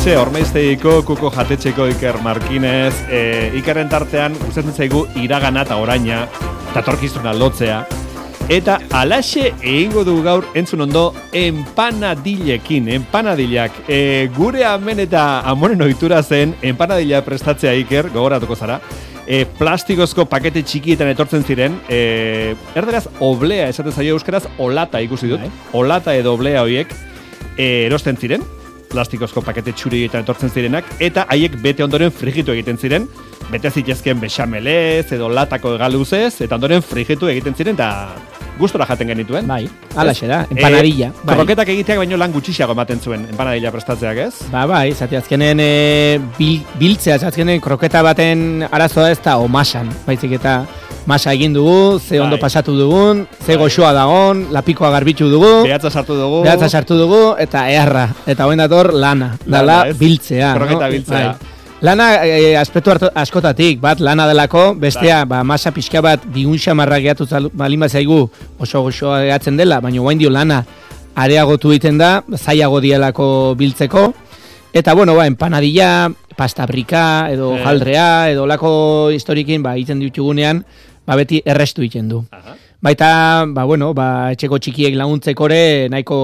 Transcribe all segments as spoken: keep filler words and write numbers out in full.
Hementxe, Ormaiztegiko Kuko Jatetxeko Iker Markinez, e, Ikerren tartean gustatzen zaigu iragana eta oraina, datorkizuna lotzea, eta alaxe egingo du gaur entzun ondo empanadilekin, empanadilak. E, gure amen eta amonen ohitura zen empanadila prestatzea Iker, gogoratuko zara. E, plastikozko pakete txikietan etortzen ziren, e, erderaz oblea esaten zaio euskaraz, olata ikusi dut, olata edo oblea horiek e, erosten ziren, plastikozko pakete txurietan etortzen zirenak, eta haiek bete ondoren frigitu egiten ziren, bete zitezken bexamelez edo latako egaluzez, eta ondoren frigitu egiten ziren, eta gustora jaten genituen. Bai, alaxe da, empanadilla. E, bai. Kroketak egiteak baino lan gutxiago ematen zuen empanadilla prestatzeak, ez? Ba, bai, zati azkenen e, bil, biltzea, azkenen kroketa baten arazoa ez da, o masan, baizik eta masa egin dugu, ze ondo bai. Pasatu dugun, ze bai. Goxoa dagon, lapikoa garbitu dugu, behatza sartu dugu, behatza sartu dugu, eta eharra, eta hoen dator lana, dala biltzea. Kroketa no? biltzea. Bai. Lana e, aspektu askotatik, bat lana delako, bestea ba, masa pixka bat bigun xamarra gehatu balin zaigu oso goxoa gehatzen dela, baina guain dio lana areagotu egiten da, zailago dielako biltzeko, eta bueno, ba, empanadilla, pasta brika, edo eh. jaldrea, edo lako historikin, ba, egiten ditugunean, ba, beti errestu egiten du. Aha. Baita, ba, bueno, ba, etxeko txikiek laguntzekore nahiko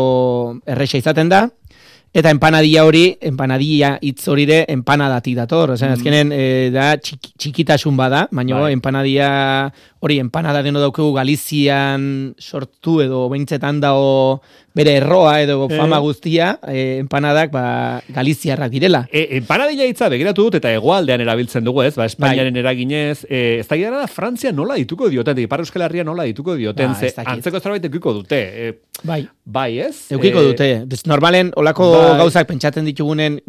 erresa izaten da, eta empanadilla hori, empanadilla hitz hori de empanadatik dator. Ozen, mm. azkenen e, da txik, txikitasun bada, baina bai. Empanadilla hori empanada deno daukegu Galizian sortu edo beintzetan dao bere erroa edo fama eh. guztia, e, empanadak ba, Galiziarrak direla. E, empanadilla hitza begiratu dut eta hegoaldean erabiltzen dugu, ez? Ba, Espainiaren bai. Eraginez, e, ez da gira da Frantzia nola dituko dioten, Ipar Euskal Herria nola dituko dioten, ba, ze antzeko zerbait eukiko dute. E, bai. Bai, ez? Eukiko e, dute. Normalen, olako bai. Gauzak pentsatzen ditugunen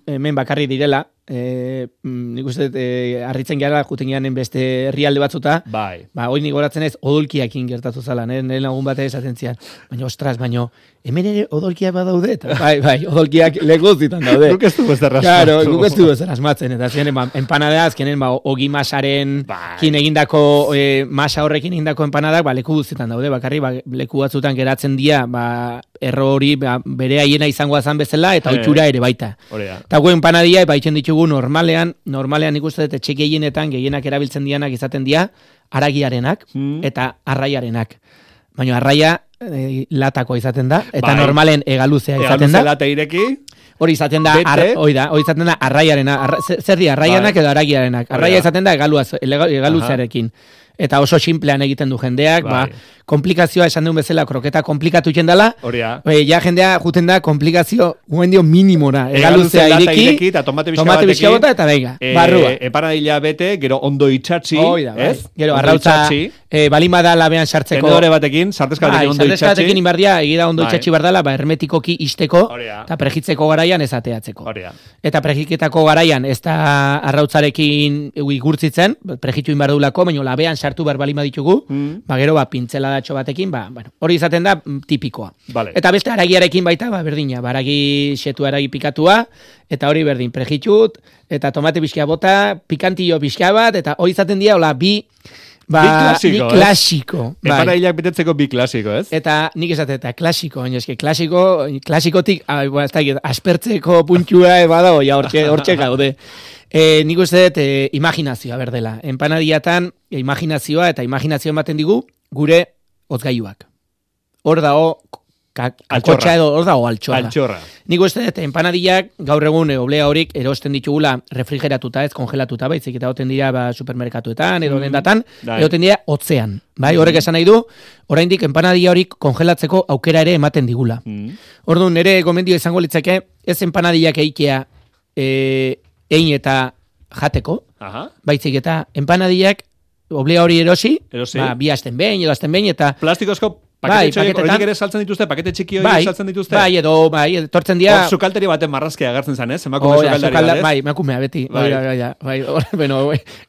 hemen bakarri direla, E, nik uste e, harritzen gara juten garen beste herrialde batzuta bai. Ba, hoi nik goratzen ez odolkiakin gertatu zala, nire lagun bat esaten zian, baina ostras, baina hemen ere odolkiak badaude, eta bai, bai, odolkiak leguztitan daude. Guk ez du bezera asmatzen. Claro, guk ez du bezera asmatzen, eta ziren, ba, empanada azkenen, ba, ogi masaren bai. Kin egindako, e, masa horrekin egindako empanadak, ba, leku guztietan daude, bakarri, ba, leku batzutan geratzen dira, ba, erro hori, ba, bere haiena izango azan bezala, eta ohitura ere baita. Eta gu empanadilla, ba, itxen ditugu normalean, normalean nik uste dut etxe gehienetan, gehienak erabiltzen dianak izaten dira, aragiarenak hmm. eta arraiarenak. Baina arraia e, latako izaten da, eta bai. Normalen egaluzea izaten da. Egaluzea lata ireki. Hori izaten da, ar, hori da, hori izaten da arraiarena, arra, zer di, arraianak bai. Edo aragiarenak. Arraia izaten da egaluzearekin. Eta oso simplean egiten du jendeak, bai. Ba, komplikazioa esan duen bezala kroketa komplikatu iten dela, e, ja jendea juten da komplikazio guen dio minimora, egaluzea ireki, ireki eta tomate bizka bota eta beiga, e, barrua. Empanadilla bete, gero ondo itxatzi, da, ez? Bai. Gero arrautza, e, balima da labean sartzeko. Tenedore batekin, sartezka batekin ondo itxatzi. Sartezka inbardia, egira ondo itxatzi bardala, ba, hermetikoki isteko, eta prejitzeko garaian ez ateatzeko. Oria. Eta prejiketako garaian ez da arrautzarekin igurtzitzen, prejitu inbardulako, baina labean sartu bar balima ditugu, mm. ba, gero, ba, pintzeladatxo batekin, ba, bueno, hori izaten da tipikoa. Vale. Eta beste aragiarekin baita, ba, berdina, ba, aragi xetu aragi pikatua, eta hori berdin, prejitut, eta tomate pixka bota, pikantillo pixka bat, eta hori izaten dira, hola, bi, ba, bi klasiko, bi klasiko. Bai. Empanadillak betetzeko bi klasiko, ez? Eta nik esate, eta klasiko, baina eske, klasiko, klasikotik, ah, ba, ez da, aspertzeko puntua badago, ja, hortxe, hortxe gaude. E, nik uste dut, e, imaginazioa berdela. Empanadillatan, e, imaginazioa eta imaginazioa ematen digu, gure hozgailuak. Hor dago, kakotxa edo, hor dago altxorra. altxorra. Nik uste dut, empanadillak gaur egun e, oblea horik erosten ditugula refrigeratuta, ez kongelatuta, baizik eta oten dira ba, supermerkatuetan, edo mm. dendatan, edoten dira hotzean. Bai, horrek esan nahi du, oraindik empanadilla horik kongelatzeko aukera ere ematen digula. Mm. Orduan, nire gomendio izango litzake, ez empanadillak eitea e, ein eta jateko, aha. Baizik eta empanadillak oblea hori erosi, erosi. Ba, bi asten behin, edo asten behin, eta plastikozko pakete bai, horiek ere saltzen dituzte, pakete txiki horiek bai, saltzen dituzte. Bai, edo, bai, etortzen dira... Hor sukalteri baten marrazkia agertzen zen, ez? Emakume oh, sukaldaria, sukalda, bai, emakumea beti. Bai, bai, bai, bai, bai, bueno,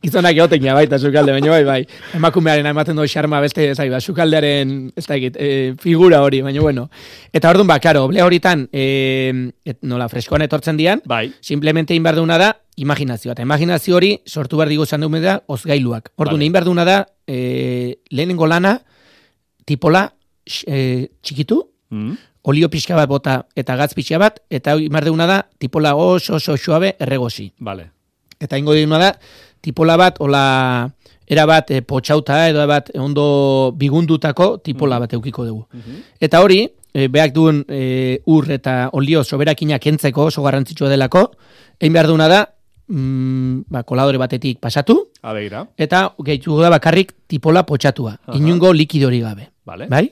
gizonak egoten ja, baita sukalde, baina bai, bai. Emakumearen ematen du xarma beste, ez da, sukaldearen, ez da egit, e, figura hori, baina bueno. Eta orduan, ba, karo, oble horitan, e, et, nola, freskoan etortzen dian, bai. Simplemente inbarduna da, imaginazioa. Eta imaginazio hori sortu behar digu zan dugu da, ozgailuak. Orduan, vale. Inbarduna da, e, lehenengo lana, tipola, E, txikitu, mm. olio pixka bat bota eta gatz pixka bat, eta imar deuna da, tipola oso oso suabe erregosi. Vale. Eta ingo deuna da, tipola bat, ola, era bat e, potxauta, edo bat ondo bigundutako tipola bat eukiko dugu. Uh-huh. Eta hori, e, beak duen e, ur eta olio soberakinak entzeko, oso garrantzitsua delako, egin behar duna da, mm, ba, koladore batetik pasatu, Abeira. Eta gehiago da bakarrik tipola potxatua, uh-huh. inungo likidori gabe. Vale. Bai?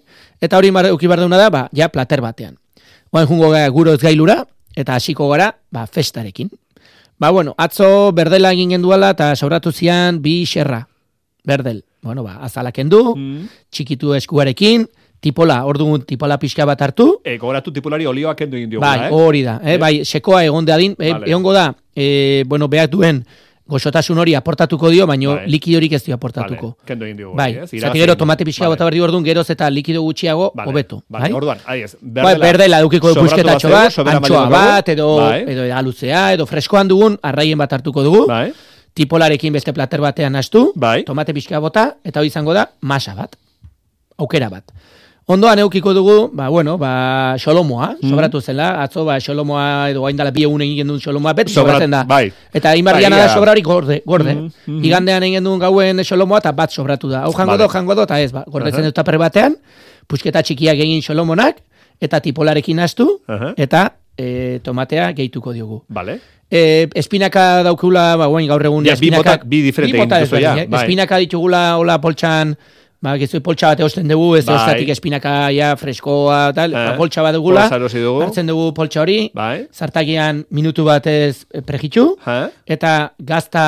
Eta hori euki behar duna da, ba, ja plater batean. Oain jungo gara guro ez gailura, eta hasiko gara, ba, festarekin. Ba, bueno, atzo berdela egin genduala, eta sobratu zian bi xerra. Berdel. Bueno, ba, azalak endu, mm. txikitu eskuarekin, tipola, orduan tipola pixka bat hartu. E, gogoratu tipolari olioak endu egin diogula, bai, eh? Hori da, eh? Bai, sekoa egon dadin, eh, vale. egongo da, eh, bueno, behar duen, goxotasun hori aportatuko dio, baino bai. likidorik ez dio aportatuko. Vale. Kendo egin diogu. Bai, eh? zati gero tomate pixka vale. Bota berdi orduan, geroz eta likido gutxiago, vale. hobeto. Vale, bai? orduan, ahi ez, berdela, bai, berdela dukiko busketatxo bat, antxoa bat, edo, bai. edo aluzea, edo freskoan dugun, arraien bat hartuko dugu. Bai. Tipolarekin beste plater batean hastu, bai. tomate pixka bota, eta hori izango da, masa bat, aukera bat. Ondoan eukiko dugu, ba, bueno, ba, xolomoa, mm. sobratu zela, atzo, ba, xolomoa, edo hain dala bi egun egin duen xolomoa, beti Sobrat, sobratzen da. Bai. Eta inbardiana bai, da sobra hori gorde, gorde. Mm, mm. Igandean egin duen gauen xolomoa, eta bat sobratu da. Hau jango vale. do, jango do, eta ez, ba, gordetzen uh-huh. dut taper batean, pusketa txikiak egin xolomonak, eta tipolarekin hastu, uh-huh. eta e, tomatea gehituko diogu. Vale. E, espinaka daukula, ba, guen gaur egun, ja, espinaka, bi botak, bi diferente egin duzu, ja. Eh? Bai. Espinaka ditugula, hola, poltsan, ba, gizui poltsa bat eosten dugu, ez bai. Estatik espinaka ja freskoa, tal, eh. ba, poltsa bat dugula, dugu. hartzen dugu poltsa hori, bai. Zartagian minutu batez prejitxu, eh. eta gazta,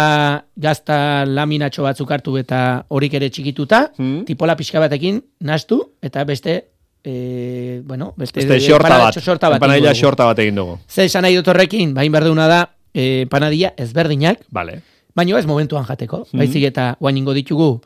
gazta laminatxo batzuk hartu eta horik ere txikituta, hmm. tipola pixka batekin nastu, eta beste, e, bueno, beste, beste xorta bat, xorta bat, empanadilla xorta bat egin dugu. Zer esan nahi dut horrekin, bain berduna da, e, empanadilla ezberdinak, vale. baino ez momentuan jateko, hmm. baizik eta guain ingo ditugu,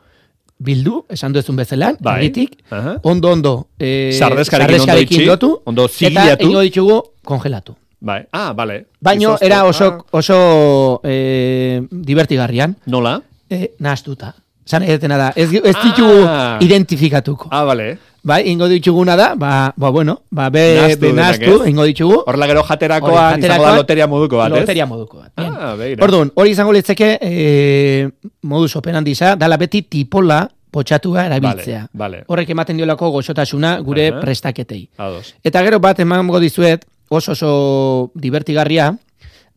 bildu, esan duezun bezelan, bai. Erritik, uh-huh. ondo ondo eh, sardeskarekin ondo itxi, dotu, ondo eta ingo ditugu kongelatu. Bai. Ah, vale. Baino era oso, oso eh, divertigarrian. Nola? Eh, nahaztuta. Zan edetena da, ez, ez ditugu ah. identifikatuko. Ah, vale. Bai, ingo dituguna da, ba, ba bueno, ba, be, be nahaztu, ingo ditugu. Horla gero jaterakoa, izango da loteria moduko bat, ez? Loteria moduko bat. Ah, beira. Orduan, hori izango litzeke, eh, modus operandisa, dala beti tipola potxatua erabiltzea. Vale, vale. Horrek ematen diolako goxotasuna gure uh-huh. prestaketei. Ados. Eta gero bat emango dizuet, oso oso divertigarria,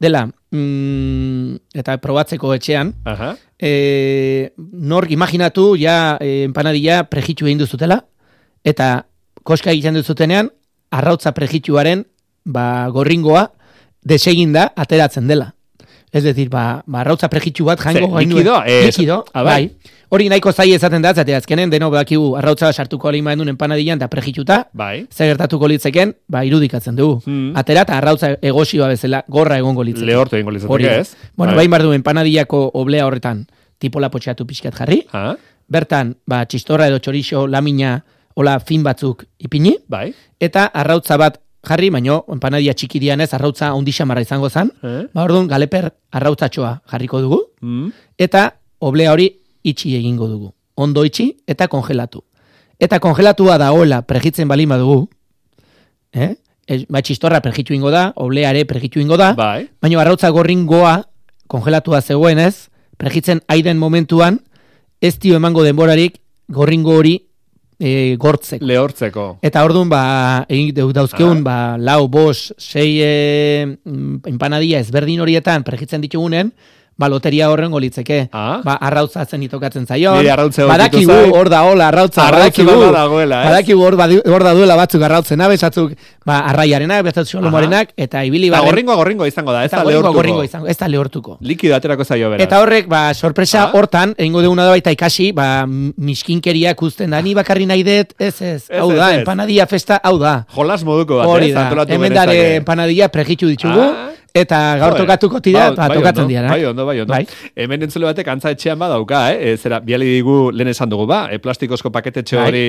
dela, mm, eta probatzeko etxean, uh-huh. e, nork imaginatu, ja, e, empanadilla prejitxu egin duzutela, eta koska egiten duzutenean, arrautza prejitxuaren, ba, gorringoa, deseginda ateratzen dela. Ez decir, ba, ba arrautza prejitxu bat jango gainuen. Likido? Eh, likido, bai. Hori nahiko zai ezaten da, zate azkenen, deno bakigu arrautza sartuko alima endun empanadillan eta prejitxuta, bai. Zer gertatuko litzeken, ba, irudikatzen dugu. Hmm. Atera eta arrautza egosioa bezala, gorra egongo litzeken. Lehortu egongo litzeken, ez? Bueno, bai. Bain bardu empanadillako oblea horretan tipola potxeatu pixkat jarri, ha? Bertan, ba, txistorra edo txorixo lamina, hola fin batzuk ipini, bai. Eta arrautza bat jarri, baino, empanadilla txiki dianez, arrautza ondixamarra izango zan, eh? Ba, orduan, galeper arrautzatxoa jarriko dugu, mm. eta oblea hori itxi egingo dugu. Ondo itxi eta kongelatu. Eta kongelatua dagoela prejitzen balima dugu, eh? E, ba, txistorra prejitu ingo da, obleare prejitu ingo da, bai. Baina arrautza gorringoa kongelatua zegoenez, prejitzen aiden momentuan, ez dio emango denborarik gorringo hori E, gortzeko. Lehortzeko. Eta orduan, ba, egin dauzkeun, ah. ba, lau, bos, sei e, empanadilla ezberdin horietan prejitzen ditugunen, ba, loteria horren golitzeke. Ah. Ba, arrautza zen itokatzen zaion. Badakigu hor da hola, arrautza. Badakigu hor da duela batzuk arrautzena, bezatzuk, ba, arraiarenak, bezatzuk xolomoarenak, eta ibili barren. Gorringo, gorringo izango da, ez da lehortuko. Gorringo izango, ez da lehortuko. Likido aterako zaio beraz. Eta horrek, ba, sorpresa ah. hortan, egingo duguna da baita ikasi, ba, miskinkeriak usten da, ni bakarri nahi dut, ez ez, hau da, empanadilla festa, hau da. Jolas moduko bat, ez, antolatu genezake. Hemen dare empanadilla prejitu ditugu, Eta gaur Joder, tokatuko tira, ba, ba, bai tokatzen ondo, dira. Bai, ondo, bai, ondo. Bai. Hemen entzule batek antza etxean badauka, eh? E, zera, biali digu lehen esan dugu, ba? E, plastikozko paketetxe Bai. hori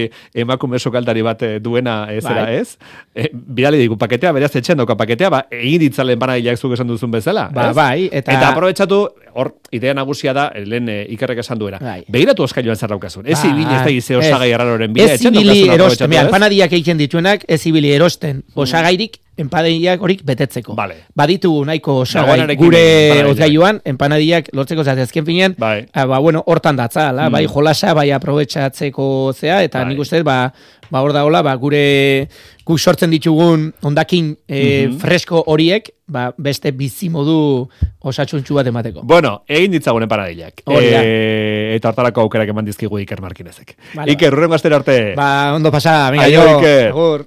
emakume sukaldari bat eh, duena, e, zera, Bai. ez? E, biali digu paketea, beraz etxean dauka paketea, ba, egin ditzalen panadilak zuk esan duzun bezala, Ba, ez? bai, eta... Eta aprobetxatu, hor, idea nagusia da, lehen e, Ikerrek esan duena. Bai. Begiratu oskailuan zer daukazun. Ez Bai. ibili ez da gize Ez. osagai erraroren bidea, Ez etxean ibili daukazun erosten, aprobetxatu, mira, ez? empanadiak egiten dituenak, ez ibili erosten, osagairik, empanadiak horik betetzeko. Vale. Baditugu nahiko osagai Dagoenarekin gure empanadillak. ozgailuan, empanadiak lortzeko zate azken finean, Bai. ah, ba, bueno, hortan datza, la, Mm. bai jolasa, bai aprobetxatzeko zea, eta Bai. nik uste, ba, ba hor dagoela, ba, gure guk sortzen ditugun ondakin e, Mhm. fresko horiek, ba, beste bizimodu osatsuntsu bat emateko. Bueno, egin ditzagun empanadillak. Hori da. E, eta hortarako aukerak eman dizkigu Iker Markinezek. Vale, Iker, urrengo astera arte. Ba, ondo pasa, venga, Aio, jo, Iker. agur.